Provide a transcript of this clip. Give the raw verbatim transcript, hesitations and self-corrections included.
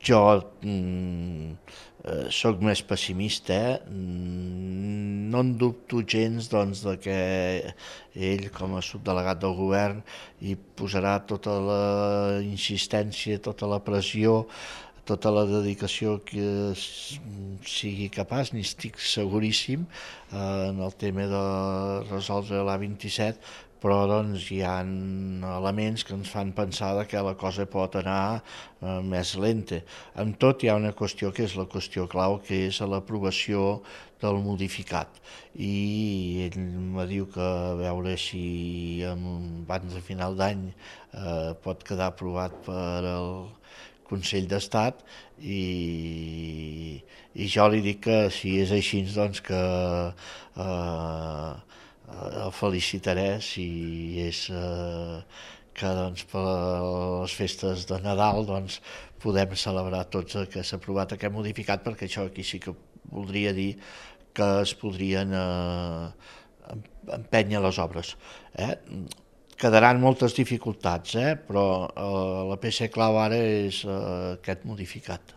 Jo mm, eh, sóc més pessimista, eh? Mm, no en dubto gens doncs, de que ell, com a subdelegat del govern, hi posarà tota la insistència, tota la pressió, tota la dedicació que sigui capaç, n'hi estic seguríssim, eh, en el tema de resoldre l'A vint-i-set, però doncs, hi ha elements que ens fan pensar que la cosa pot anar eh, més lenta. Amb tot hi ha una qüestió que és la qüestió clau, que és l'aprovació del modificat. I ell me diu que a veure si abans de final d'any eh, pot quedar aprovat per el Consell d'Estat i, i jo li dic que si és així doncs que eh, el felicitaré si és eh, que doncs, per les festes de Nadal doncs, podem celebrar tots que s'ha aprovat aquest modificat, perquè això aquí sí que voldria dir que es podrien eh, empènyer les obres. Eh? Quedaran moltes dificultats, eh? Però eh, la peça clau ara és eh, aquest modificat.